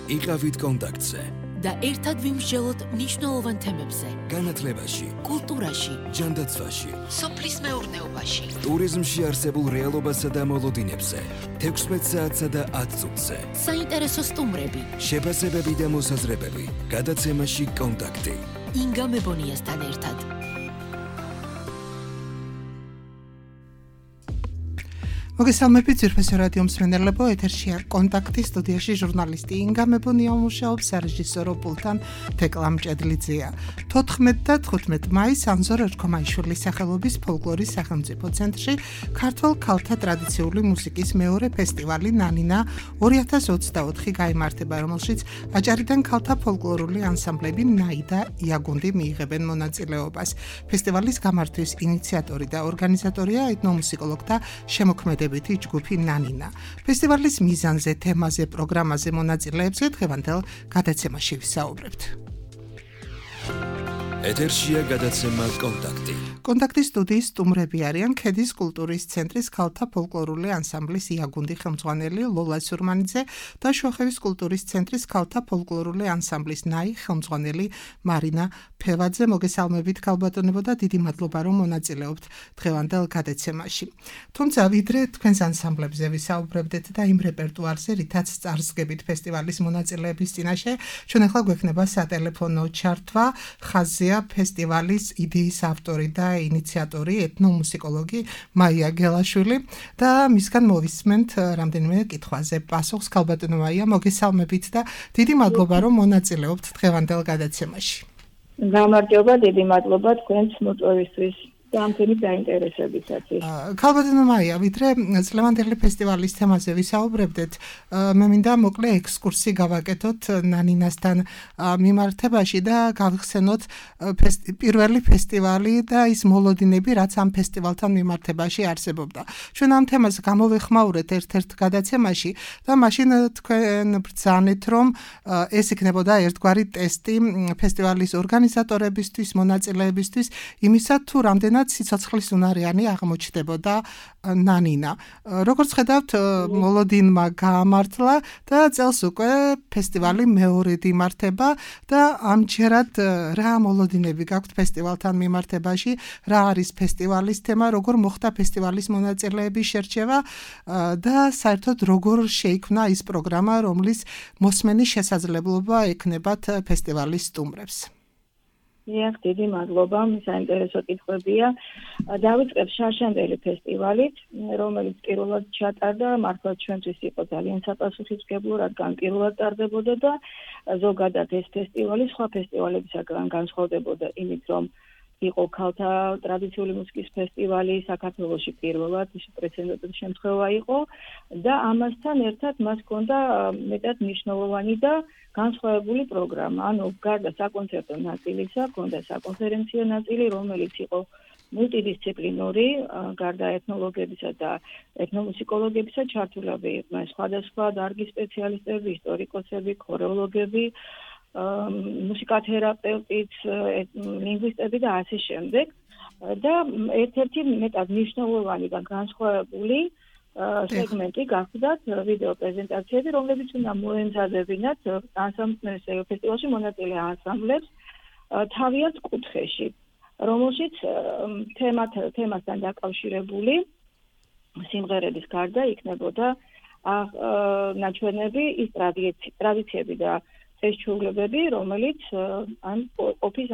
იყავით კონტაქტზე და ერთად ვიმსჯელოთ მნიშვნელოვან თემებზე. განათლებაში, კულტურაში, ჯანდაცვაში, სოფლის მეურნეობაში, ტურიზმში არსებულ რეალობასა და მოლოდინებზე, 16 საათსა და 10 წუთზე. საინტერესო სტუმრები, შეფასებები და მოსაზრებები, გადაცემაში კონტაქტი. ინგა მებონიასთან ერთად. მოგესალმებით ძვირფასი რადიო მსმენელებო, ეთერშია კონტაქტი, სტუდიაში ჟურნალისტი ინგა მებონია მუშაობს, სარეჟისორო პულტთან თეკლა მჭედლიძეა. 14 და 15 მაისს ანზორ ერქომაიშვილის სახელობის ფოლკლორის სახელმწიფო ცენტრში ქართველ ქალთა ტრადიციული მუსიკის მეორე ფესტივალი ნანინა 2024 გაიმართება, რომელშიც აჭარიდან ქალთა ფოლკლორული ანსამბლები ნაი და იაგუნდი მიიღებენ მონაწილეობას. ფესტივალის გამართვის ინიციატორი და ორგანიზატორია ეთნომუსიკოლოგთა შემოქმედებითი ჯგუფი ნანინა. ფესტივალის მიზანზე, თემაზე, პროგრამაზე, მონაწილეებზე დღევანდელ გადაცემაში ვისაუბრებთ. ეთერშია გადაცემა კონტაქტი. კონტაქტის სტუდიის სტუმრები არიან ქედის კულტურის ცენტრის ქალთა ფოლკლორული ანსამბლის იაგუნდი ხელმძღვანელი ლოლა სურმანიძე და შუახევის კულტურის ცენტრის ქალთა ფოლკლორული ანსამბლის ნაი ხელმძღვანელი მარინა ფევაძე. მოგესალმებით ქალბატონებო და დიდი მადლობა რომ მონაწილეობთ დღევანდელ გადაცემაში. თუმცა ვიდრე თქვენს ანსამბლებზე ვისაუბრებდეთ და იმ რეპერტუარზე, რითაც წარსდგებით ფესტივალის მონაწილეების წინაშე, ჩვენ ახლა გვექნება სატელეფონო ჩართვა. ხაზია ფესტივალის იდეის ავტორი და ინიციატორი ეთნომუსიკოლოგი მაია გელაშვილი და მისგან მოვისმენთ რამდენიმე კითხვაზე პასუხს. ქალბატონო მაია, მოგესალმებით და დიდი მადლობა რომ მონაწილეობთ დღევანდელ გადაცემაში. გამარჯობა, დიდი მადლობა თქვენს მოწვევისთვის და ამქენი დაინტერესებისათვის. ქალბატონო მაია, ვიდრე წლევანდელი ფესტივალის თემაზე ვისაუბრებდეთ, მე მინდა მოკლე ექსკურსი გავაკეთოთ ნანინასთან მიმართებაში და გავხსენოთ პირველი ფესტივალი და ის მოლოდინები, რაც ამ ფესტივალთან მიმართებაში არსებობდა. ჩვენ ამ თემას გამოვეხმაურეთ ერთ-ერთ გადაცემაში და მაშინ თქვენ ბრძანეთ, რომ ეს იქნებოდა ერთგვარი ტესტი ფესტივალის ორგანიზატორებისთვის, მონაწილეებისთვის, იმისა თუ რამდენად სიცოცხლის უნარიანი აღმოჩნდებოდა ნანინა. როგორც ხედავთ, მოლოდინმა გაამართლა და წელს უკვე ფესტივალი მეორედ იმართება და ამჯერად რა მოლოდინები გაქვთ ფესტივალთან მიმართებაში, რა არის ფესტივალის თემა, როგორ მოხდა ფესტივალის მონაწილეების შერჩევა და საერთოდ როგორ შეიქმნა ის პროგრამა, რომლის მოსმენის შესაძლებლობა ექნებათ ფესტივალის სტუმრებს. დიდი მადლობა, საინტერესო კითხვებია. დავიწყებ შარშანდელი ფესტივალით, რომელიც პირველად ჩატარდა, მართლა ჩვენთვის იყო ძალიან საპასუხისმგებლო, რადგან პირველად ტარდებოდა და ზოგადად ეს ფესტივალი სხვა ფესტივალებისაგან განსხვავდებოდა იმით, რომ იყო ქალთა ტრადიციული მუსიკის ფესტივალი საქართველოში პირველად, ეს პრეცედენტული შემთხვევა იყო და ამასთან ერთად მას ჰქონდა მეტად მნიშვნელოვანი და განსხვავებული პროგრამა. ანუ გარდა საკონცერტო ნაწილისა, ჰქონდა საკონფერენციო ნაწილი, რომელიც იყო მულტიდისციპლინური, გარდა ეთნოლოგებისა და ეთნომუსიკოლოგებისა ჩართულები იყვნენ სხვადასხვა დარგის სპეციალისტები, ისტორიკოსები, ქორეოლოგები, მუსიკათერაპევტიც, ლინგვისტები და ასე შემდეგ. და ერთ-ერთი მეტად მნიშვნელოვანი და განსხვავებული სეგმენტი გახდათ ვიდეო პრეზენტაციები, რომლებიც უნდა მოემზადებინათ ფესტივალში მონაწილე ანსამბლებს თავიანთ კუთხეში, რომელშიც თემასთან დაკავშირებული სიმღერების გარდა იქნებოდა ნაჩვენები ის ტრადიციები და წესჩვეულებები, რომელიც ან ყოფის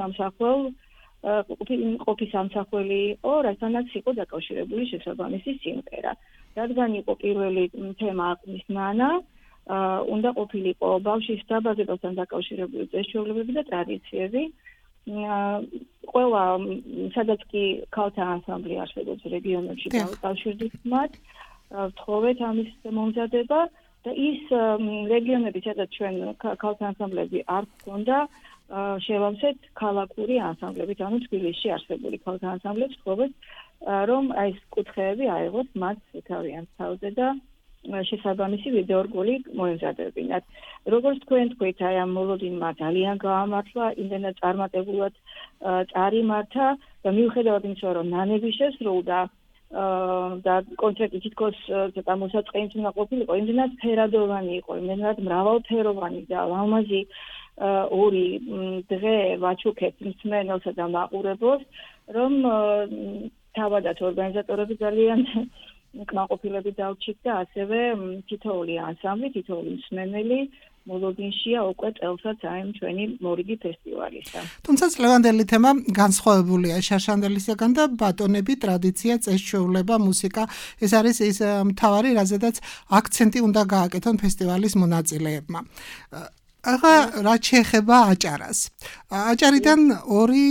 ამსახველი იყო, რასთანაც იყო დაკავშირებული შესაბამისი სიმღერა. რადგან იყო პირველი თემა აყნის ნანა, უნდა ყოფილიყო ბავშვის დაბადებასთან დაკავშირებული წესჩვეულებები და ტრადიციები. ყველა სადაც კი ქალთა ანსამბლი არსებობს რეგიონებში დავუკვირდით მათ, ვთხოვეთ ამის მომზადება და ის რეგიონები, სადაც ჩვენ ქალთა ანსამბლები არ ჰქონდა, შევავსეთ ქალაქური ანსამბლებით, ანუ თბილისში არსებული ქალთა ანსამბლებს ვთხოვეთ, რომ ეს კუთხეები აიღოთ მათ თავიანთ თავზე და შესაბამისი ვიდეორგოლი მოემზადებინათ. როგორც თქვენ თქვით, აი ამ მოლოდინმა ძალიან გაამართლა, იმდენად წარმატებულად წარიმართა და მიუხედავად იმისა, რომ ნანები შესრულდა, და კონცერტი თითქოს ცოტა მოსაწყენიც უნდა ყოფილიყო, იმდენად ფერადოვანი იყო, იმდენად მრავალფეროვანი და ლამაზი ორი დღე ვაჩუქებთ მსმენელსა და მაყურებელს, რომ თავადაც ორგანიზატორები ძალიან კმაყოფილები დავჭით და ასევე თითოეული ანსამბლი, თითოეული მსმენელი მოლოდინშია უკვე წელსაც აი ჩვენი მორიგი ფესტივალისა. თუმცა წლევანდელი თემა განსხვავებულია შარშანდელისგან და ბატონები, ტრადიცია, წესჩვეულება, მუსიკა, ეს არის ის მთავარი, რაზედაც აქცენტი უნდა გააკეთონ ფესტივალის მონაწილეებმა. ახლა რაც შეეხება აჭარას. აჭარიდან ორი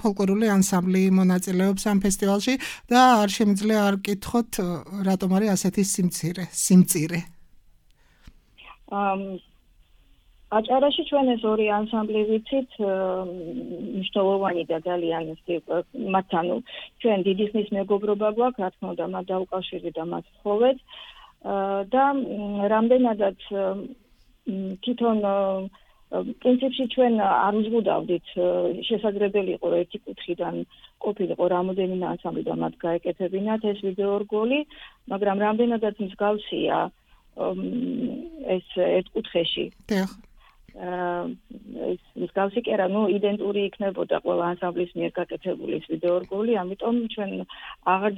ფოლკლორული ანსამბლი მონაწილეობს ამ ფესტივალში და არ შემიძლია არ გკითხოთ, რატომ არის ასეთი სიმწირე. აჭარაში ჩვენ ეს ორი ანსამბლი ვიცით მნიშვნელოვანი და ძალიან მათთან ჩვენ დიდი ხნის მეგობრობა გვაქვს, რა თქმა უნდა, მათ დაუკავშირდით და მათ ვთხოვეთ და რამდენადაც თვითონ პრინციპში ჩვენ არ უზღუდავდით, შესაძლებელი იყო ერთი კუთხიდან ყოფილიყო რამოდენიმე ანსამბლი და მათ გაეკეთებინათ ეს ვიდეო რგოლი, მაგრამ რამდენადაც მსგავსია ეს ერთ კუთხეში. ეს მსგავსი კი არა, იდენტური იქნებოდა ყველა ანსამბლის მიერ გაკეთებული ეს ვიდეო რგოლი, ამიტომ ჩვენ აღარ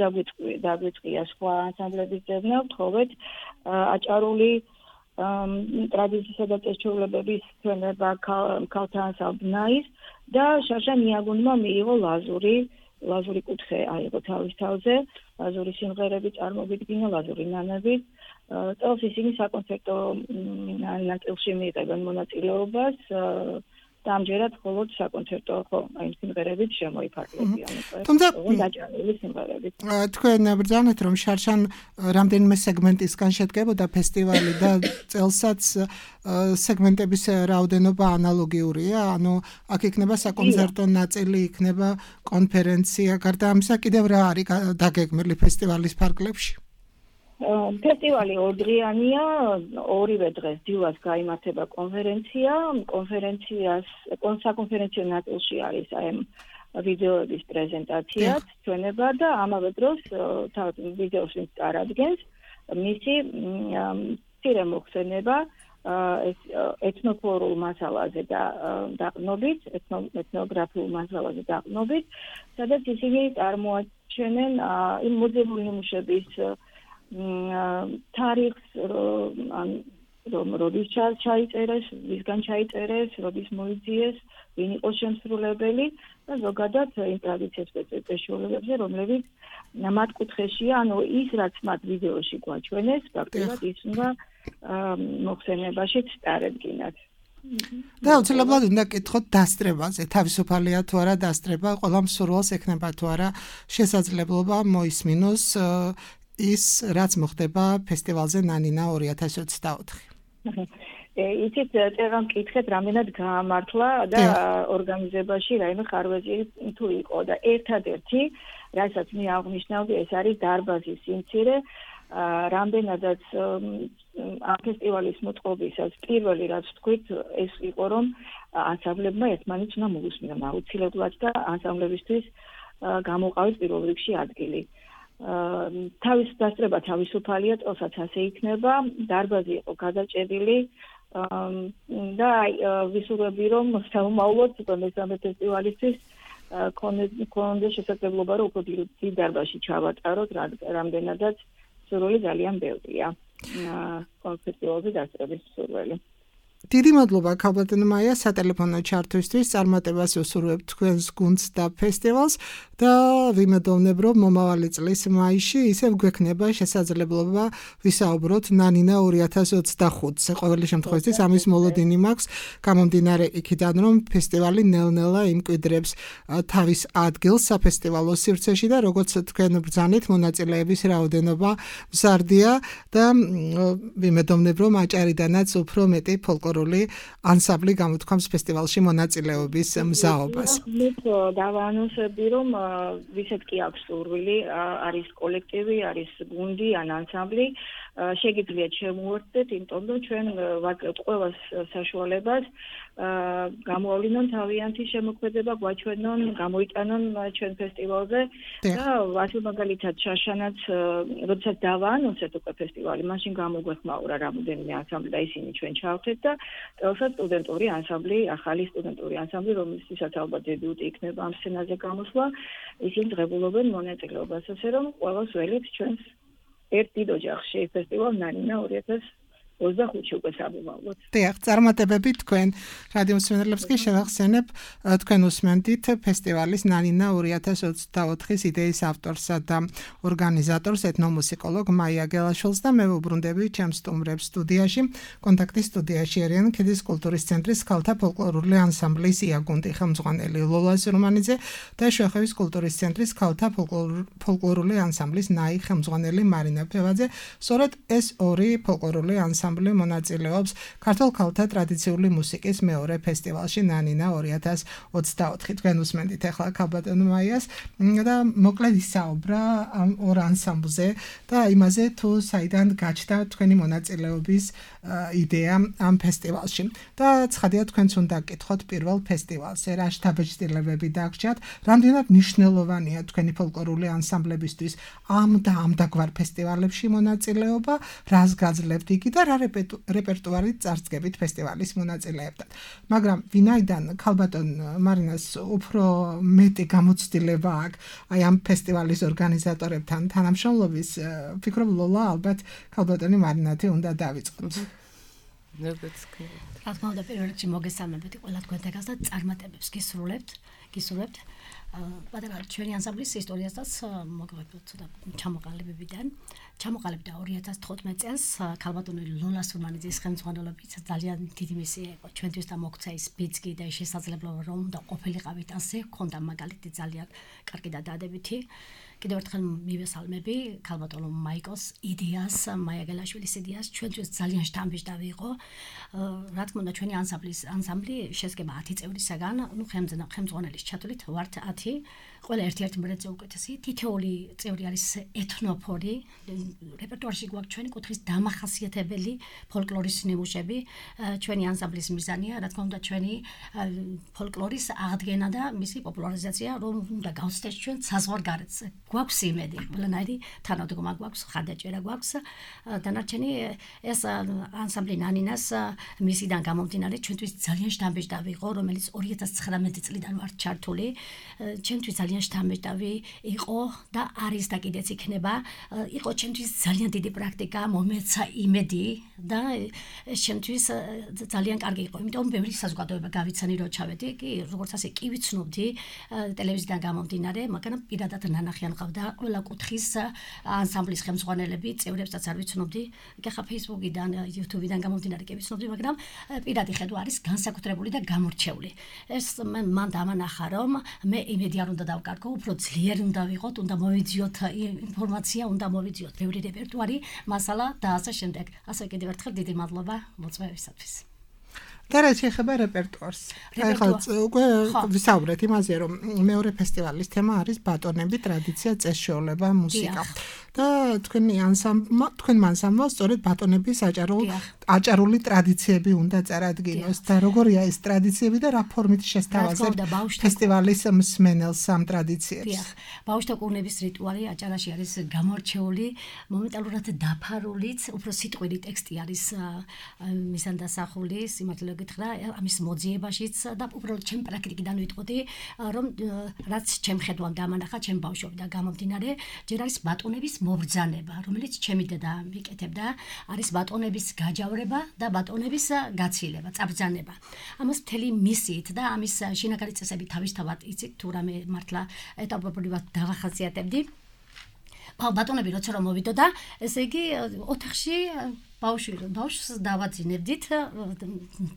დაგვიწყია სხვა ანსამბლების ძებნა, ვთხოვეთ აჭარული ტრადიციისა და წესჩვეულებების ჩვენება ქალთა ანსამბლ ნაის და შარშან იაგუნმა მიიღო ლაზური კუთხე აიღო თავის თავზე, ლაზური სიმღერები წარმოვიდგინა, ლაზური ნანები. წელს ისინი საკონცერტო ნაწილში მიიღებენ მონაწილეობას და ამჯერად მხოლოდ საკონცერტო სიმღერებით შემოიფარგლებიან. თუმცა დაჭარული სიმღერებით. თქვენ ბრძანეთ, რომ შარშან რამდენიმე სეგმენტისგან შედგებოდა ფესტივალი და წელსაც სეგმენტების რაოდენობა ანალოგიურია, ანუ აქ იქნება საკონცერტო ნაწილი, იქნება კონფერენცია, გარდა ამისა კიდევ რა არის დაგეგმილი ფესტივალის ფარგლებში? ფესტივალი ორდღიანია, ორივე დღეს დილას გაიმართება კონფერენცია, საკონფერენციო ნაწილში არის აი ვიდეოების პრეზენტაციაც, ჩვენება და ამავე დროს ვიდეოს ვინც წარადგენს, მისი მცირე მოხსენება ეთნოფლორულ მასალაზე დაყრდნობით, ეთნოგრაფიულ მასალაზე დაყრდნობით, სადაც ისინი წარმოაჩენენ იმ მოძებნული ნიმუშების თარიღს, რომ როდის ჩაიწერეს, ვისგან ჩაიწერეს, როდის მოიძიეს, ვინ იყო შემსრულებელი და ზოგადად იმ ტრადიციებს წესჩვეულებებზე, რომლებიც მათ კუთხეშია, ანუ ის რაც მათ ვიდეოში გვაჩვენეს, ფაქტობრივად ის უნდა მოხსენებაშიც წარედგინათ. და უცილებლად უნდა გკითხოთ დასწრებაზე, თავისუფალია თუ არა დასწრება, ყველა მსურველს ექნება თუ არა შესაძლებლობა მოისმინოს ის რაც მოხდება ფესტივალზე ნანინა 2024. იცით, წერა მკითხეთ, რამდენად გაამართლა და ორგანიზებაში რაიმე ხარვეზი თუ იყო და ერთადერთი, რასაც მე აღნიშნავდი, ეს არის დარბაზის სიმცირე, რამდენადაც ამ ფესტივალის მოწყობისას პირველი რაც ვთქვით, ეს იყო, რომ ანსამბლებმა ერთმანეთს უნდა მოусმინონ აუცილებლად და ანსამბლებისთვის გამოყავეს პირველ რიგში ადგილი. თავის დასწრება თავისუფალია, წელსაც ასე იქნება, დარბაზი იყო გადაჭედილი და ვისურვები, რომ საომავლოდ მესამე ფესტივალისთვის ქონდეს შესაძლებლობა, რომ უფრო დიდ დარბაზში ჩავატაროთ, რამდენადაც სურვილი ძალიან ბევრია ფესტივალზე დასწრების სურვილი. დიდი მადლობა ქალბატონ მაია სატელეფონო ჩართვისთვის, წარმატებას ვუსურვებთ თქვენს გუნდს და ფესტივალს და ვიმედოვნებ, რომ მომავალი წლის მაისში ისევ გვექნება შესაძლებლობა ვისაუბროთ ნანინა 2025-ზე. ყოველი შემთხვევაში ამის მოლოდინი მაქვს, გამომდინარე იქიდან, რომ ფესტივალი ნელ-ნელა იმკვიდრებს თავის ადგილს საფესტივალო სივრცეში და როგორც თქვენ ბრძანეთ, მონაწილეების რაოდენობა მზარდია და ვიმედოვნებ, რომ აჭარიდანაც უფრო მეტი ფოლკლორული ანსამბლი გამოთქვამს ფესტივალში მონაწილეობის მზაობას. დავაანონსებდი, რომ ვისაც კი აქვს სურვილი, არის კოლექტივი, არის გუნდი ან ანსამბლი, შეგიძლიათ შემოუერთდეთ, იმიტომ რომ ჩვენ ვაკლებთ ყველას საშუალებას გამოავლინონ თავიანთი შემოქმედება, გვაჩვენონ, გამოიტანონ ჩვენ ფესტივალზე და ასე მაგალითად შაშანაც როდესაც დავაანონსეთ უკვე ფესტივალი, მაშინ გამოგვეხმაურა რამოდენიმე ანსამბლი და ისინი ჩვენ ჩავთეთ და თელსა სტუდენტური ანსამბლი, ახალი სტუდენტური ანსამბლი, რომელსაც ალბათ დებიუტი იქნება ამ სცენაზე გამოსვლა, ისინი ღებულობენ მონაწილეობას, ასე რომ ყველას ველით ჩვენს ერთ დიდ ოჯახში ფესტივალ ნანინა 2025-ში უკვე სამომავლოდ. დიახ, წარმატებები თქვენ რადიო მსმენელებს კი შევახსენებ, თქვენ უსმენთ ფესტივალის ნანინა 2024-ის იდეის ავტორსა და ორგანიზატორს ეთნომუსიკოლოგ მაია გელაშვილს და მე ვუბრუნდები ჩემს სტუმრებს სტუდიაში. კონტაქტის სტუდიაში არიან ქედის კულტურის ცენტრის ქალთა ფოლკლორული ანსამბლის იაგუნდი ხელმძღვანელი ლოლა სურმანიძე და შუახევის კულტურის ცენტრის ქალთა ფოლკლორული ანსამბლის ნაი ხელმძღვანელი მარინა ფევაძე. სწორედ ეს ორი ფოლკლორული ანსამბლი მონაწილეობს ქართულ ქალთა ტრადიციული მუსიკის მეორე ფესტივალში ნანინა 2024. თქვენ უსმენთ ახლა ქალბატონ მაიას და მოკლედ ისაუბრა ამ ორ ანსამბლზე და იმაზე თუ საიდან გაჩნდა თქვენი მონაწილეობის იდეა ამ ფესტივალში. და ცხადია თქვენც უნდა გკითხოთ პირველ ფესტივალზე რა შთაბეჭდილებები დაგჭირთ, რამდენად მნიშვნელოვანია თქვენი ფოლკლორული ანსამბლებისთვის ამ და ამ დაგვარ ფესტივალებში მონაწილეობა, რას გაძლევთ იგი და რა რეპერტუარით წარსდგებით ფესტივალის მონაწილეებთან. მაგრამ ვინაიდან ქალბატონ მარინას უფრო მეტი გამოცდილება აქვს აი ამ ფესტივალის ორგანიზატორებთან თანამშრომლობის, ვფიქრობ ლოლა ალბათ ქალბატონი მარინათი უნდა დავიწყოთ. რა თქმა უნდა, პირველ რიგში მოგესალმებით ყველა თქვენთაგას და წარმატებებს გისურვებთ. პატარა ჩვენი ანსამბლის ისტორიასაც მოგվებთ ცოტა ჩამოყალიბებიდან. ჩამოყალიბდა 2015 წელს ქალბატონი ლოლა სურმანიძის ხელმძღვანელობით ძალიან დიდი მისია იყო ჩვენთვის და მოგცა ის ბიძგი და შესაძლებლობა რომ და ყოფილიყავით ასე, ჰქონდა მაგალითი ძალიან კარგი და დადებითი. კიდევ ერთხელ მივესალმები ქალბატონ მაიკოს იდეას, მაია გელაშვილის იდეას, ჩვენთვის ძალიან შთამბეჭდავი იყო. რა თქმა უნდა, ჩვენი ანსამბლი შედგება 10 წევრისაგან, ხელმძღვანელის ჩათვლით ვართ 10. ყველა ერთ-ერთი მრეწე უკეთესი, თითოეული წევრი არის ეთნოფორი, რეპერტუარში გვაქვს ჩვენი კუთხის დამახასიათებელი ფოლკლორის ნიმუშები. ჩვენი ანსამბლის მიზანია, რა თქმა უნდა, ჩვენი ფოლკლორის აღდგენა და მისი პოპულარიზაცია, რომ უნდა გავცდეთ ჩვენ საზღვარგარეთს. გვაქვს იმედი, ყველანაირი თანადგომა გვაქვს, ხარდაჭერა გვაქვს. დანარჩენი ეს ანსამბლი ნანინას მისიდან გამომდინარე ჩვენთვის ძალიან შთამბეჭდავი იყო, რომელიც 2019 წლიდან ვართ ჩართული. ჩვენთვის ძალიან შთამბეჭდავი იყო და არის და კიდეც იქნება. იყო ჩვენთვის ძალიან დიდი პრაქტიკა, მომეცა იმედი და ჩვენთვის ძალიან კარგი იყო. იმიტომ ბევრი საზოგადოება გავიცანი რო ჩავედი, კი როგორც ასე კი ვიცნობდი ტელევიზიიდან გამომდინარე, მაგრამ პირადად ნანახიან ყავდა ყველა კუთხის ანსამბლის ხელმძღვანელები, წევრებსაც არ ვიცნობდი. კი ხა Facebook-იდან, YouTube-იდან გამომდინარე კი ვიცნობდი, მაგრამ პირადი ხედვა არის განსაკუთრებული და გამორჩეული. ეს მან დამანახა, რომ მე იმედი არ უნდა დავკარგო, უფრო ძლიერი უნდა ვიყოთ, უნდა მოვიძიოთ ინფორმაცია, უნდა მოვიძიოთ ბევრი რეპერტუარი, მასალა და ასე შემდეგ. ასე კიდევ ერთხელ დიდი მადლობა მოწვევისათვის. და რა შეიძლება რეპერტუარს. ახლა უკვე ვისაუბრეთ იმაზე, რომ მეორე ფესტივალის თემა არის ბატონები, ტრადიცია, წესშეულება, მუსიკა. და თქვენი ანსამბლმა სწორედ ბატონების აჭარული ტრადიციები უნდა წარადგინოს და როგორია ეს ტრადიციები და რა ფორმით შესთავაზებთ ფესტივალის მსმენელს ამ ტრადიციებს. ბავშვთა კურნების რიტუალი აჭარაში არის გამორჩეული, მომენტალურად დაფარულიც, უფრო სიტყვილი ტექსტი არის მისანდასახული, სიმართლე გითხრა, ამის მოძიებაშიც და უბრალოდ ჩემ პრაქტიკიდან ვიტყოდი, რომ რაც ჩემ ხედვამ დამანახა, ჩემ ბავშვობიდან გამომდინარე, ჯერ არის ბატონების მობრძანება, რომელიც ჩემი დედა მიკეთებდა, არის ბატონების გაჯავრება და ბატონების გაცილება, წაბრძანება. ამას მთელი მისიით და ამის შინაგანი წესები თავისთავად იცით, თუ რამე მართლა ეტაპობრივად დავახასიათებდი. ბატონები როცა რომ მოვიდოდა, ესე იგი ოთახში ბავშვს დავაძინებდით,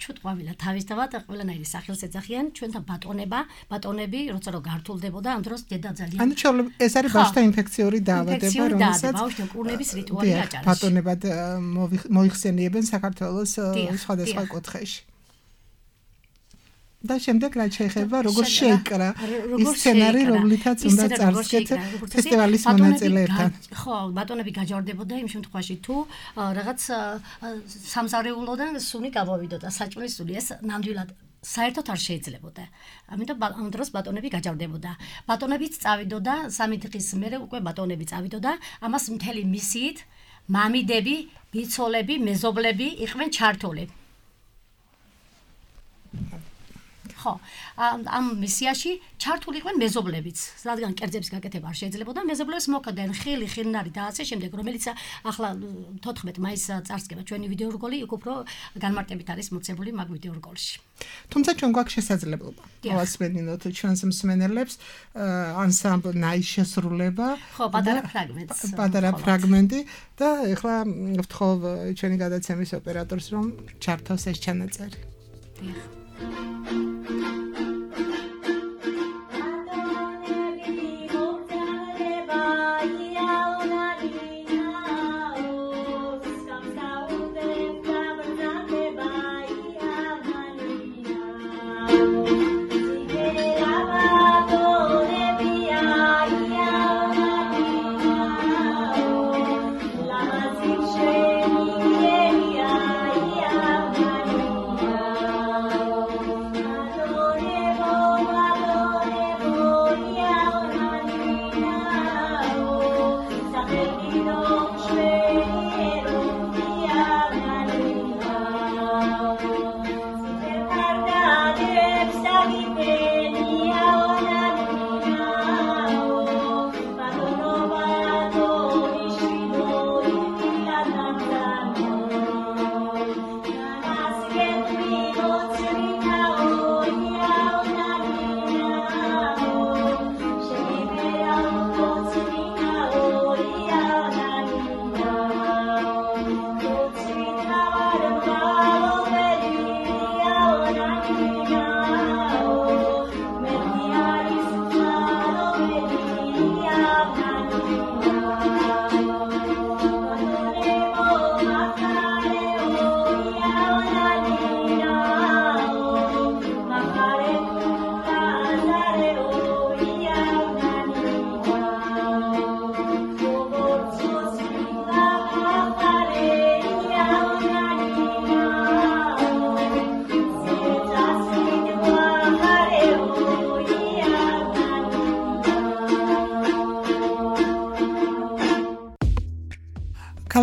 ჩუტყვავილა თავისთავად ყველანაირი სახელს ეძახიან, ჩვენთან ბატონები, როცა რომ გართულდებოდა, ამ დროს დედა ძალიან. ანუ ეს არის ბავშვთა ინფექციური დაავადება, რომელსაც ბავშვთა კურნების რიტუალი აჭარაში. ბატონებად მოიხსენიებენ საქართველოს სხვადასხვა კუთხეში. და შემდეგ რაც შეეხება როგორ შეიკრა ის სცენარი, რომლითაც უნდა წარსდგეთ ფესტივალის მონაწილეებთან. ხო, ბატონები გაჯვარდებოდა იმ შემთხვევაში თუ რაღაც სამზარეულოდან სუნი გავავიდოდა, საჭმლის სუნი, ეს ნამდვილად საერთოდ არ შეიძლებოდა. ამიტომ ამ დროს ბატონები გაჯავდებოდა. ბატონებიც წავიდოდა 3 დღის მერე უკვე ბატონები წავიდოდა, ამას მთელი მისიით მამიდები, ბიცოლები, მეზობლები იყვნენ ჩართული. ხო, ამ მისიაში ჩართული იყვნენ მეზობლებიც, რადგან კერძების გაკეთება არ შეიძლებოდა, მეზობლებს მოხდნენ ხილი, ხილნარი და ასე შემდეგ, რომელიც ახლა 14 მაისს წარსდგება ჩვენი ვიდეორგოლი, იქ უფრო განმარტებით არის მოცემული მაგ ვიდეორგოლში. თუმცა ჩვენ გვაქვს შესაძლებლობა ავასმენინოთ ჩვენს მსმენელებს ანსამბლ ნაის შესრულება, ხო, პატარა ფრაგმენტი და ეხლა ვთხოვ ჩვენი გადაცემის ოპერატორს რომ ჩართოს ეს ჩანაწერი.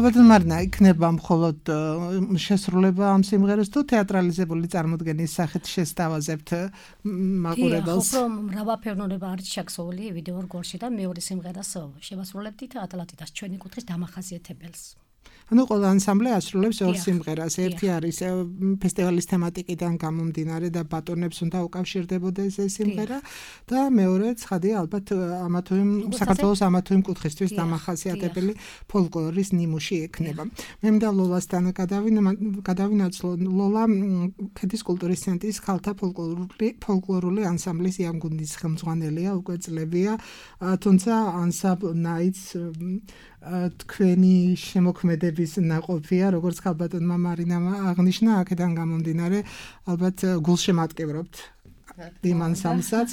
ალბათ მარნა იქნება მხოლოდ შესრულება ამ სიმღერას თუ თეატრალიზებული წარმოდგენის სახით შესთავაზებთ მაყურებელს? ხო, მრავალფეროვნება არის ჩაქსოვილი ვიდეორგოლში და მეორე სიმღერას შევასრულებთ ატლანტიდას ჩვენი კუთხის დამახასიათებელს. ანუ ყველა ანსამბლე ასრულებს ორ სიმღერას. ერთი არის ფესტივალის თემატიკიდან გამომდინარე და ბატონებს უნდა უკავშირდებოდეს ეს სიმღერა და მეორე ცხადია ალბათ ამა თუ იმ საქართველოს ამა თუ იმ კუთხისთვის დამახასიათებელი ფოლკლორის ნიმუში ექნება. მე მინდა ლოლასთან გადავინაცვლო. ლოლა ქედის კულტურის ცენტრის ქალთა ფოლკლორული ანსამბლის იანგუნდის ხელმძღვანელია, უკვე წლებია, თუმცა ანსამბლ ნაიც თქვენი შემოქმედების ნაყოფია, როგორც ხალბატონმა მარინამ აღნიშნა, აქედან გამომდინარე, ალბათ გულშემატკივრობთ იმ ანსამბლსაც,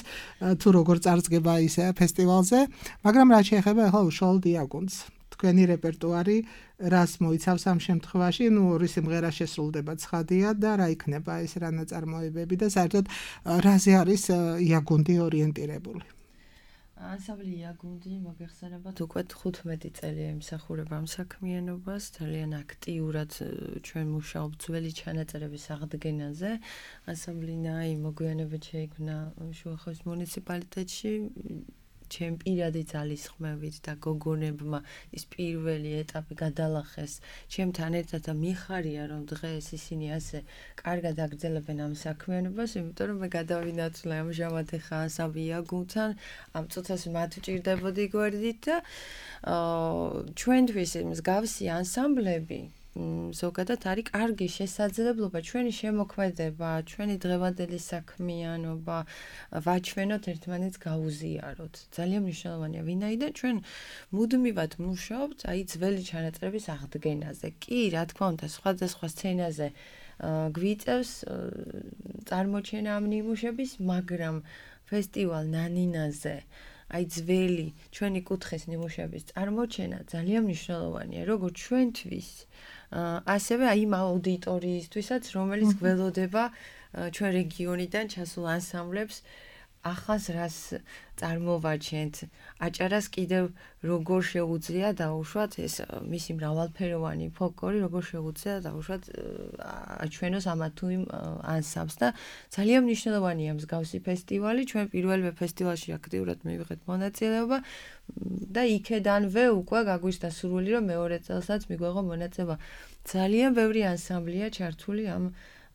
თუ როგორ წარსდგება ის ფესტივალზე, მაგრამ რაც შეეხება ახლა უშუალოდ იაგუნდს. თქვენი რეპერტუარი რას მოიცავს ამ შემთხვევაში? ორი სიმღერა შესრულდება ცხადია და რა იქნება ეს რა ნაწარმოებები და საერთოდ რაზე არის იაგუნდი ორიენტირებული? ანსამბლი იაგუნდი მოგეხსენებათ უკვე 15 წელია იმსახურება ამ საქმიანობას, ძალიან აქტიურად ჩვენ მუშაობთ ძველი ჩანაწერების აღდგენაზე. ანსამბლი ნაი მოგვიანებით შეიქმნა შუახევის მუნიციპალიტეტში. ჩემ პირადი ძალისხმევით და გოგონებმა ის პირველი ეტაპი გადალახეს ჩემთან ერთად და მიხარია რომ დღეს ისინი ასე კარგად აგრძელებენ ამ საქმიანობას, იმიტომ რომ მე გადავინაცვლე ამჟამად ახლა ანსამბლი იაგუნდთან, ამ წუთას მათ ვჭირდებოდი გვერდით და ჩვენთვის მსგავსი ანსამბლები ზოგადად არის კარგი შესაძლებლობა ჩვენი შემოქმედება, ჩვენი დღევანდელი საქმიანობა ვაჩვენოთ ერთმანეთს გაუზიაროთ. ძალიან მნიშვნელოვანია, ვინაიდან ჩვენ მუდმივად მუშაობთ აი ძველი ჩანაწერების აღდგენაზე. კი, რა თქმა უნდა, სხვადასხვა სცენაზე გვიწევს წარმოჩენა ამ ნიმუშების, მაგრამ ფესტივალ ნანინაზე აი ძველი ჩვენი კუთხის ნიმუშების წარმოჩენა ძალიან მნიშვნელოვანია, როგორც ჩვენთვის, ასევე აი იმ აუდიტორიისთვისაც, რომელიც გველოდება ჩვენ რეგიონიდან ჩასულ ანსამბლებს ახალს რას წარმოვაჩენთ, აჭარას კიდევ როგორ შეუძლია დაუშვათ ეს მისი მრავალფეროვანი ფოლკლორი, როგორ შეუძლია დაუშვათ აჩვენოს ამათ თუ იმ ანსამბლს და ძალიან მნიშვნელოვანია მსგავსი ფესტივალი, ჩვენ პირველივე ფესტივალში აქტიურად მივიღეთ მონაწილეობა და იქედანვე უკვე გაგვიშთა სურვილი, რომ მეორე წელსაც მიგვეღო მონაწილეობა. ძალიან ბევრი ანსამბლია ჩართული ამ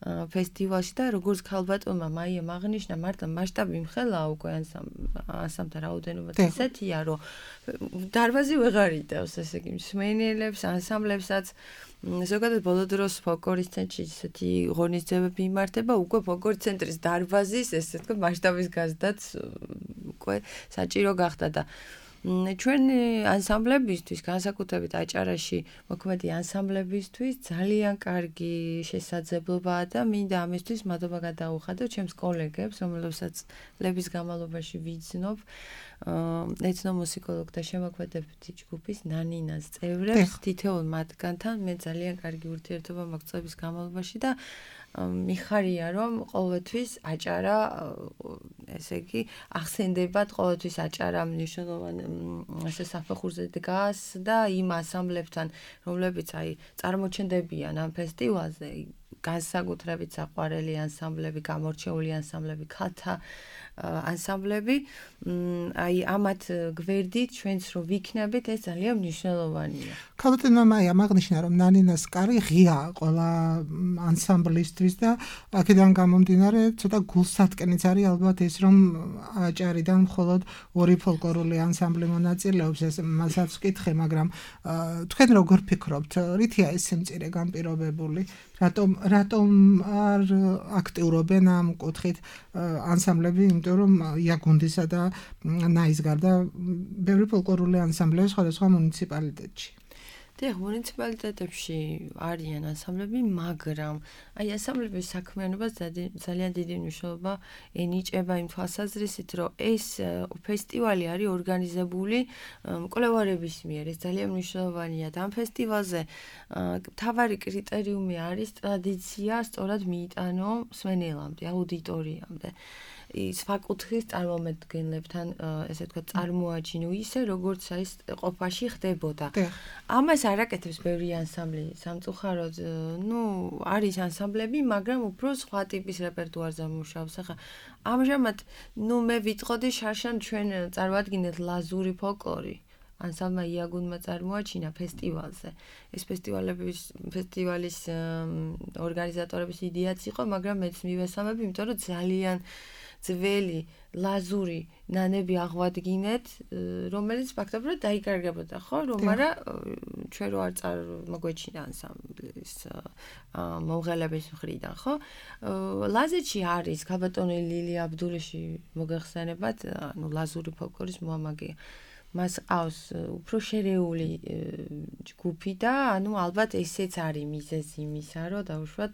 ფესტივალში და როგორც ქალბატონმა მაიამ აღნიშნა, მარტო მასშტაბი მხელაა უკვე ანსამბლთა რაოდენობაც ისეთია, რომ დარბაზი ვეღარ იტევს, ესე იგი, მსმენელებს, ანსამბლებსაც. ზოგადად ბოლო დროს ფოლკლორის ცენტრში ისეთი ღონისძიებები იმართება, უკვე ფოლკლორის ცენტრის დარბაზის, ესე თქვა, მასშტაბის გაზრდაც უკვე საჭირო გახდა და ჩვენი ანსამბლებისთვის, განსაკუთრებით აჭარაში მოქმედი ანსამბლებისთვის ძალიან კარგი შესაძლებლობაა და მინდა ამისთვის მადლობა გადაუხადო ჩემს კოლეგებს, რომლებსაც წლების განმავლობაში ვიცნობ, ეთნომუსიკოლოგთა შემოქმედებითი ჯგუფის ნანინას წევრებს, თითოეულ მათგანთან მე ძალიან კარგი ურთიერთობა მაქვს წლების განმავლობაში და მიხარია რომ ყოველთვის აჭარა ესე იგი ახსენდებათ ყოველთვის აჭარა მნიშვნელოვანი ასე საფეხურზე დგას და იმ ანსამბლებთან რომლებიც აი წარმოჩენდებიან ამ ფესტივალზე განსაკუთრებით საყვარელი ანსამბლები, გამორჩეული ანსამბლები, ქალთა ანსამბლები აი ამათ გვერდით ჩვენც რო ვიქნებით ეს ძალიან მნიშვნელოვანია. ქალბატონმა მაიამ აღნიშნა რომ ნანინას კარი ღია ყველა ანსამბლისთვის და აქედან გამომდინარე ცოტა გულსატკენიც არის ალბათ ის რომ აჭარიდან მხოლოდ ორი ფოლკლორული ანსამბლი მონაწილეობს ეს მასაც ვკითხე მაგრამ თქვენ როგორ ფიქრობთ რითია ეს სიმწირე განპირობებული რატომ არ აქტიურობენ ამ კუთხით ანსამბლები იმიტომ რომ იაგუნდისა და ნაის გარდა ბევრი ფოლკლორული ანსამბლები სხვადასხვა მუნიციპალიტეტში დიახ, მუნიციპალიტეტებში არიან ანსამბლები, მაგრამ აი ანსამბლების საქმიანობას ძალიან დიდი მნიშვნელობა ენიჭება იმ თვალსაზრისით, რომ ეს ფესტივალი არის ორგანიზებული მკვლევარების მიერ. ეს ძალიან მნიშვნელოვანია და ამ ფესტივალზე მთავარი კრიტერიუმი არის ტრადიცია სწორად მიიტანო მსმენელამდე, აუდიტორიამდე. ის ფაკუთხის წარმომადგენლებთან ესე თქვა წარმოაჩინო ისე როგორც ის ყოფაში ხდებოდა. ამას არ აკეთებს ბევრი ანსამბლი სამწუხაროდ, არის ანსამბლები, მაგრამ უფრო სხვა ტიპის რეპერტუარზე მუშაობს. ახლა ამჟამად მე ვიტყოდი შარშან ჩვენ წარმოადგინეთ ლაზური ფოლკლორი. ანსამბლმა იაგუნმა წარმოაჩინა ფესტივალზე. ეს ფესტივალის ორგანიზატორების იდეაც იყო, მაგრამ მეც მივესალმები, იმიტომ რომ ძალიან ძველი ლაზური ნანები აღვადგინეთ, რომელიც ფაქტობრივად დაიკარგებოდა, ხო, რომ არა ჩვენ რო არ მოგვეჩინა ანსამბლის მომღერლების მხრიდან, ხო? ლაზეთში არის ქალბატონი ლილი აბდულიში მოგეხსენებათ, ლაზური ფოლკლორის მოამაგეა. მას ყავს უფრო შერეული ჯგუფი და ალბათ ესეც არის მიზეზი იმისა, რომ დაუშვათ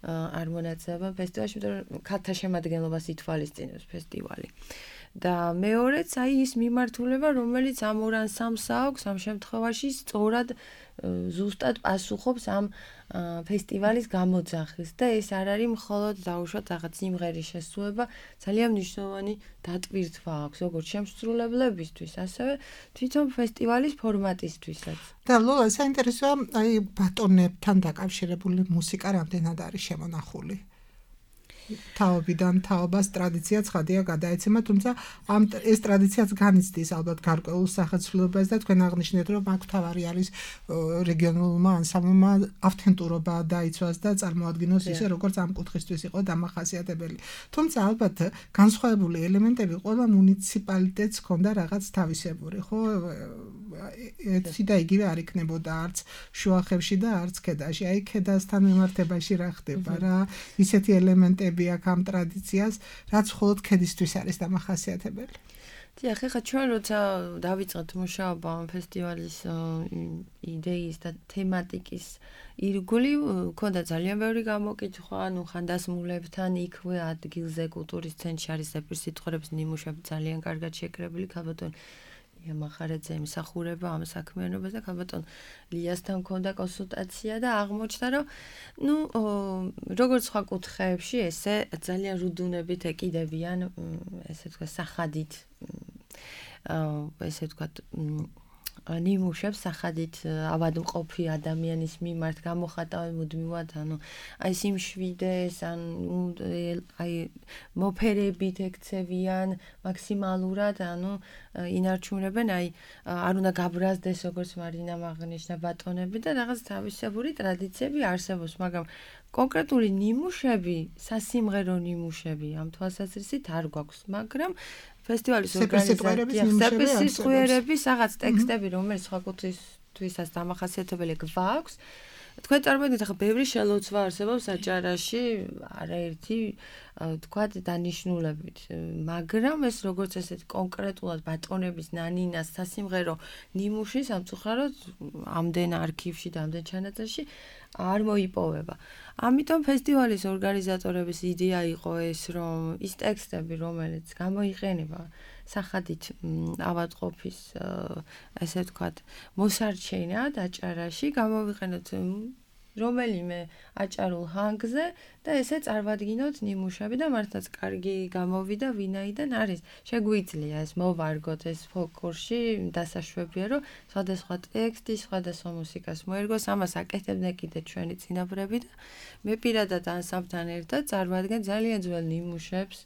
არ მონაწილეობენ ფესტივალში, იმიტომ რომ ქალთა შემადგენლობას ითვალისწინებს ფესტივალი. და მეორეც აი ის მიმართულება, რომელიც ამ ორ ანსამბლს აქვს ამ შემთხვევაში სწორად ზუსტად პასუხობს ამ ფესტივალის გამოძახის და ეს არ არის მხოლოდ დაუშვათ რაღაც სიმღერის შესრულება, ძალიან მნიშვნელოვანი დატვირთვა აქვს როგორც შემსრულებლებისთვის, ასევე თვითონ ფესტივალის ფორმატისთვისაც. და ლოლა საინტერესოა აი ბატონებთან დაკავშირებული მუსიკა რამდენად არის შემონახული? თაობიდან თაობას ტრადიცია ცხადია გადაეცემა, თუმცა ეს ტრადიციაც განიცდის ალბათ გარკვეულ სახეცვლილებას და თქვენ აღნიშნეთ, რომ აქ თავარი არის რეგიონულმა ანსამბლმა ავთენტურობა დაიცვას და წარმოადგინოს ისე, როგორც ამ კუთხისთვის იყო დამახასიათებელი. თუმცა ალბათ განსხვავებული ელემენტები ყველა მუნიციპალიტეტს ჰქონდა რაღაც თავისებური, ხო? ერთი და იგივე არ იქნებოდა არც შუახევში და არც ქედაში. აი ქედასთან მიმართებაში რა ხდება რა? ისეთი ელემენტები აქ ამ ტრადიციას, რაც მხოლოდ ქედისთვის არის დამახასიათებელი. დიახ, ხა ჩვენ როცა დავიწყეთ მუშაობა ამ ფესტივალის იდეის და თემატიკის ირგვლივ, ქონდა ძალიან ბევრი გამოკითხვა, ანუ ხანდასმულებთან იქვე ადგილზე კულტურის ცენტრში არის ზეპირსიტყვერების ნიმუშები ძალიან კარგად შეკრებილი, ქალბატონ ლია მახარაძე ემსახურება ამ საქმიანობას და ქალბატონ ლიასთან ქონდა კონსულტაცია და აღმოჩნდა, რომ როგორც სხვა კუთხეებში, ესე ძალიან რუდუნებით ეკიდებიან, ესე თქვა, სახადით ესე თქვა ნიმუშებს სახადით ავადმყოფი ადამიანის მიმართ გამოხატავენ მუდმივად, ანუ აი სიმშვიდეს, აი მოფერებით ექცევიან მაქსიმალურად, ანუ ინარჩუნებენ, აი არ უნდა გაბრაზდეს, როგორც მარინამ აღნიშნა ბატონები და რაღაც თავისებური ტრადიციები არსებობს, მაგრამ კონკრეტული ნიმუშები, სასიმღერო ნიმუშები ამ თვალსაზრისით არ გვაქვს, მაგრამ ფესტივალის ორგანიზატორების რაღაც ტექსტები, რომელიც სხვა კუთხისთვისაც დამახასიათებელი გვაქვს. თქვენ წარმოიდგინეთ, ახლა ბევრი შელოცვა არსებობს აჭარაში, არაერთი თქვათ დანიშნულებით, მაგრამ ეს როგორც ესეთ კონკრეტულად ბატონების ნანინას სასიმღერო ნიმუში სამწუხაროდ ამდენ არქივში და ამდენ ჩანაწერში არ მოიპოვება. ამიტომ ფესტივალის ორგანიზატორების იდეა იყო ეს, რომ ის ტექსტები, რომელიც გამოიყენება სახადით ავადმყოფის, ესე ვთქვათ, მოსარჩენად აჭარაში, გამოვიყენოთ რომელიმე აჭარულ ჰანგზე და ესე წარვადგინოთ ნიმუშები და მართლაც კარგი გამოვიდა, ვინაიდან არის. შეგვიძლია ეს მოვარგოთ ეს ფოლკლორში, დასაშვებია, რომ სხვადასხვა ტექსტი, სხვადასხვა მუსიკას მოერგოს, ამას აკეთებდნენ კიდე ჩვენი წინაპრები და მე პირადად ანსამბლთან ერთად წარვადგენ ძალიან ძველ ნიმუშებს.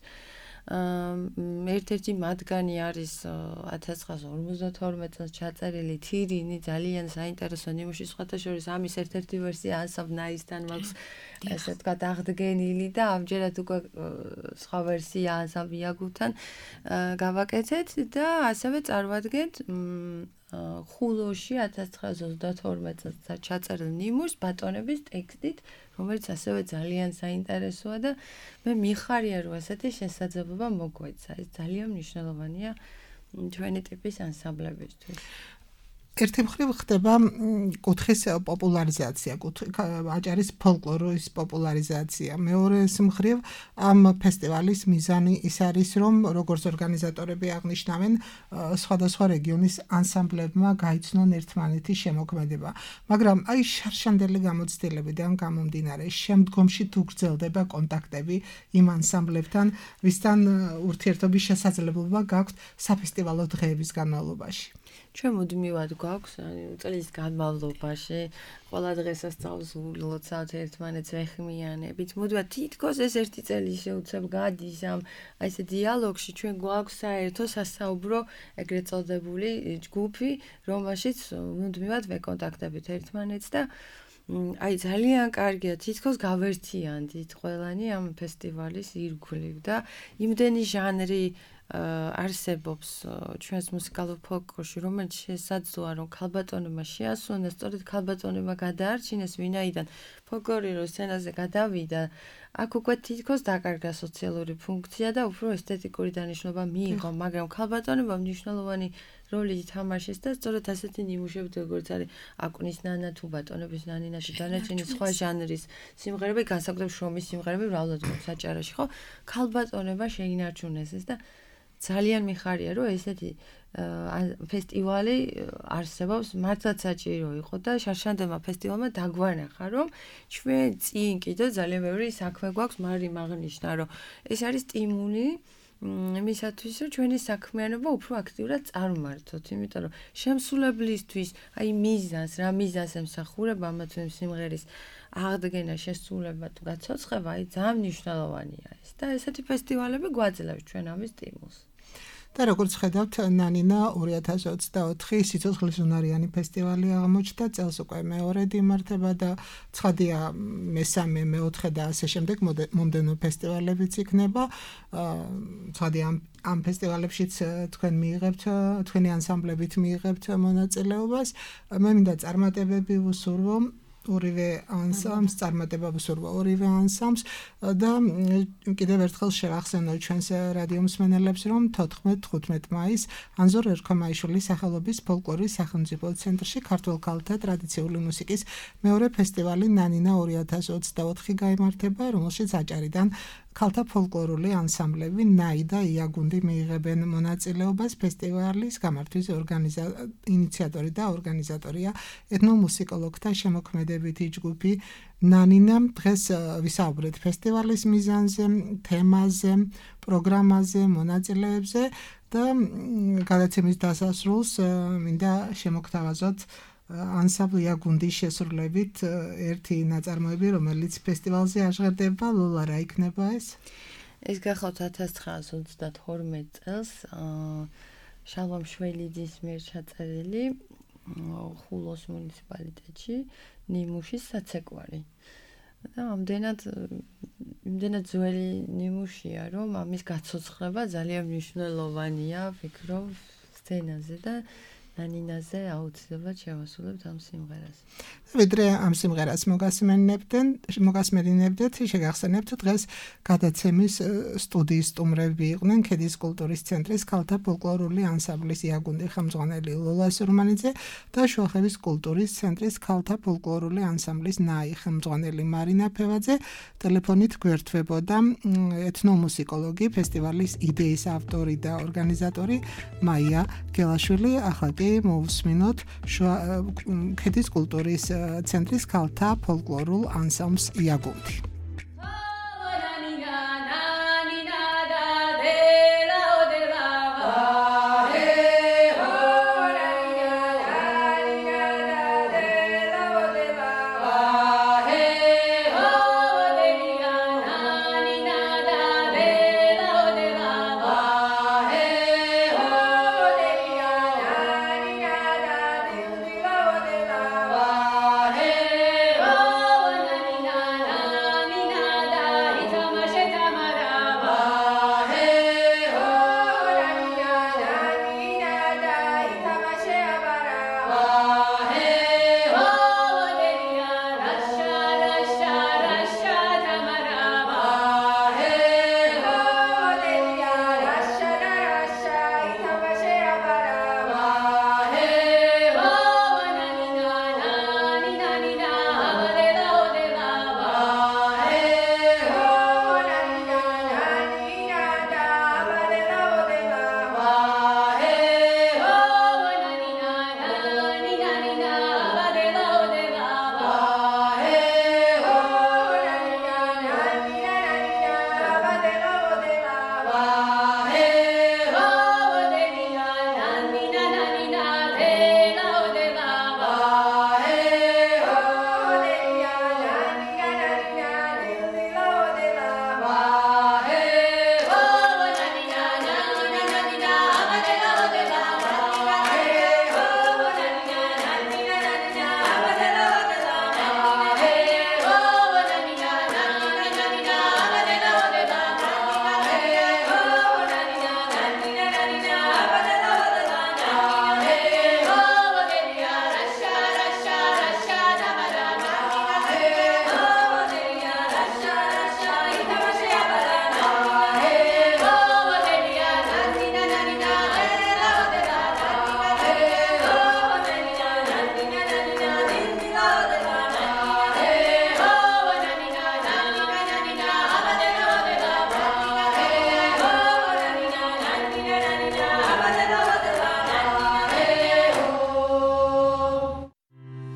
ერთ-ერთი მათგანი არის 1952 წელს ჩაწერილი თირინი, ძალიან საინტერესო ნიმუში, სხვათა შორის ამის ერთ-ერთი ვერსია ანსამბლ ნაისთან მაქვს, ესე ვთქვათ, აღდგენილი და ამჯერად უკვე სხვა ვერსია ანსამბლ იაგუთან გავაკეთეთ და ასევე წარვადგენთ ხულოში 1922 წელს ჩაწერილ ნიმუშს ბატონების ტექსტით, რომელიც ასევე ძალიან საინტერესოა და მე მიხარია, რომ ესეთი შესაძლებლობა მოგვეცა. ეს ძალიან მნიშვნელოვანია ჩვენი ტიპის ანსამბლებისთვის. ერთი მხრივ ხდება კუთხის პოპულარიზაცია, აჭარის ფოლკლორის პოპულარიზაცია. მეორე მხრივ ამ ფესტივალის მიზანი ის არის, რომ როგორც ორგანიზატორები აღნიშნავენ, სხვადასხვა რეგიონის ანსამბლებმა გაიცნონ ერთმანეთის შემოქმედება. მაგრამ აი შარშანდელი გამოცდილებიდან გამომდინარე, შემდგომში თუ გრძელდება კონტაქტები იმ ანსამბლებთან, ვისთან ურთიერთობის შესაძლებლობა გაქვთ საფესტივალო დღეების განმავლობაში. ჩვენ მუდმივად გვაქვს წლის განმავლობაში ყველა დღესასწაულს ვლოცავთ ერთმანეთს ვეხმიანებით. მუდმივად თითქოს ეს ერთი წელი შეუცებ გადის ამ აი ესე დიალოგში, ჩვენ გვაქვს საერთო სასაუბრო ეგრეთ წოდებული ჯგუფი, რომელშიც მუდმივად ვეკონტაქტებით ერთმანეთს და აი ძალიან კარგია, თითქოს გავერთიანდით ყველანი ამ ფესტივალის ირგვლივ და იმდენი ჟანრი არსებობს ჩვენს მუსიკალურ ფოლკლორში, რომელიც შესაძლოა რომ ქალბატონებმა შეასრულონ, სწორედ ქალბატონებმა გადაარჩინეს, ვინაიდან ფოლკლორი რო სცენაზე გადავიდა, აქ უკვე თითქოს დაკარგა სოციალური ფუნქცია და უფრო ესთეტიკური დანიშნულება მიიღო, მაგრამ ქალბატონებმა მნიშვნელოვანი როლი ითამაშეს და სწორედ ასეთი ნიმუშები, როგორც არის აკუნის ნანა თუ ბატონების ნანინა და დანარჩენი სხვა ჟანრის სიმღერები, განსაკუთრებით შრომის სიმღერები მრავლად გვაქვს აჭარაში, ხო? ქალბატონება შეინარჩუნეს ეს და ძალიან მიხარია, რომ ესეთი ფესტივალი არსებობს, მართლაც საჭირო იყო და შარშანდებმა ფესტივალმა დაგვანახა, რომ ჩვენ წინ კიდევ ძალიან ბევრი საქმე გვაქვს, მაგრამ აღნიშნა, რომ ეს არის სტიმული იმისათვის, რომ ჩვენი საქმიანობა უფრო აქტიურად წარმართოთ, იმიტომ რომ შემსრულებლისთვის, აი მიზანს, რა მიზანს ემსახურება ამა თუ იმ სიმღერის აღდგენა, შესრულება თუ გაცოცხება, აი ძალიან მნიშვნელოვანია ეს და ესეთი ფესტივალები გვაძლევს ჩვენ ამის სტიმულს. და როგორც ხედავთ, ნანინა 2024 სიცოცხლის უნარიანი ფესტივალი აღმოჩნდა, წელს უკვე მეორედ იმართება და ცხადია მესამე, მეოთხე და ასე შემდეგ მომდევნო ფესტივალებიც იქნება. ცხადია ამ ფესტივალებშიც თქვენ მიიღებთ, თქვენი ანსამბლებით მიიღებთ მონაწილეობას. მე მინდა წარმატებები ვუსურვო ორივე ანსამბლს წარმატება ვუსურვა ორივე ანსამბლს და კიდევ ერთხელ შევახსენოთ ჩვენს რადიო მსმენელებს რომ 14-15 მაისს ანზორ ერქომაიშვილის სახელობის ფოლკლორის სახელმწიფო ცენტრში ქართულ ქალთა ტრადიციული მუსიკის მეორე ფესტივალი ნანინა 2024 გაიმართება, რომელშიც აჭარიდან ქალთა ფოლკლორული ანსამბლები ნაი და იაგუნდი მიიღებენ მონაწილეობას. ფესტივალის გამართვის ინიციატორი და ორგანიზატორია ეთნომუსიკოლოგთა შემოქმედებითი ჯგუფი ნანინა. დღეს ვისაუბრეთ ფესტივალის მიზანზე, თემაზე, პროგრამაზე, მონაწილეებზე და გადაცემის დასასრულს მინდა შემოგთავაზოთ ანსამბლ იაგუნდის შესრულებით ერთი ნაწარმოები, რომელიც ფესტივალზე აღжღერდება. ლოლა, რა იქნება ეს? ეს გახავთ 1932 წელს შალვამ შველიძის მიერ ჩაწერილი ხულოს მუნიციპალიტეტში ნიმუშის საცეკვარი. და ამდენად ძველი ნიმუშია, რომ ამის გაცოცხლება ძალიან მნიშვნელოვანია, ვფიქრობ, სცენაზე და ნანინაზე აუცილებლად შევასრულებთ ამ სიმღერას. ვიდრე ამ სიმღერას მოგასმენინებდეთ, შეგახსენებთ დღეს გადაცემის სტუდიის სტუმრები იყვნენ ქედის კულტურის ცენტრის ქალთა ფოლკლორული ანსამბლის იაგუნდი ხელმძღვანელი ლოლა სურმანიძე და შუახევის კულტურის ცენტრის ქალთა ფოლკლორული ანსამბლის ნაი ხელმძღვანელი მარინა ფევაძე. ტელეფონით გვერდთვებოდა ეთნომუსიკოლოგი, ფესტივალის იდეის ავტორი და ორგანიზატორი მაია გელაშვილი. ახლა მოვუსმინოთ ქედის კულტურის ცენტრის ქალთა ფოლკლორულ ანსამბლს იაგუნდი.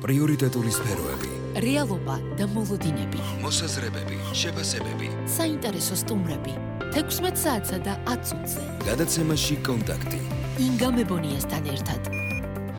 პრიორიტეტული სფეროები, რეალობა და მოლოდინები, მოსაზრებები, შეფასებები, საინტერესო სტუმრები, 16 საათსა და 10 წუთზე. გადაცემაში კონტაქტი. ინგა მებონიასთან ერთად.